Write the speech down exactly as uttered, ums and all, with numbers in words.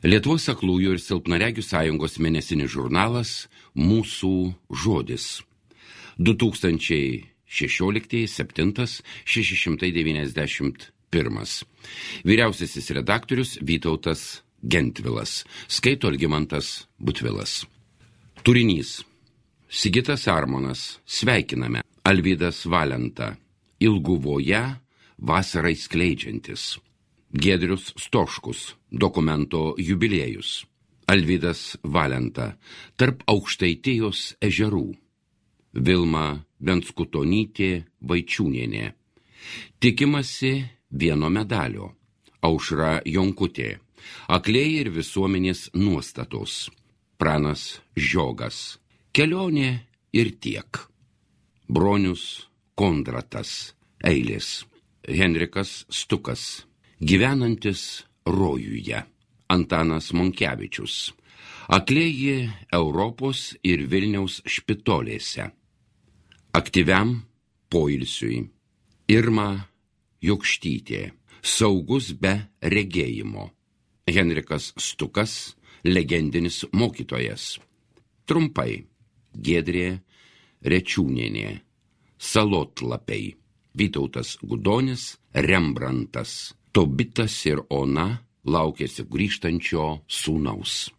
Lietuvos aklųjų ir silpnaregių sąjungos mėnesinis žurnalas Mūsų žodis. du tūkstančiai šešioliktieji septintas šeši šimtai devyniasdešimt pirmas. Vyriausiasis redaktorius Vytautas Gentvilas. Skaito Algimantas Butvilas. Turinys. Sigitas Armonas. Sveikiname. Alvydas Valenta. Ilguvoje vasarai skleidžiantis. Giedrius Stoškus. Dokumento jubiliejus. Alvydas Valenta. Tarp Aukštaitijos ežerų. Vilma Venskutonytė Vaičiūnienė. Tikimasi vieno medalio. Aušra Jonkutė. Akliai ir visuomenės nuostatos. Pranas Žiogas. Kelionė ir tiek. Bronius Kondratas. Eilės. Henrikas Stukas. Gyvenantis rojuje. Antanas Monkevičius. Aklieji Europos ir Vilniaus špitolėse. Aktyviam poilsiui. Irma Jokštytė. Saugus be regėjimo. Henrikas Stukas. Legendinis mokytojas. Trumpai. Giedrė Rečiūnienė. Salotlapiai. Vytautas Gudonis. Rembrantas. Tobitas ir Ona laukėsi grįžtančio sūnaus.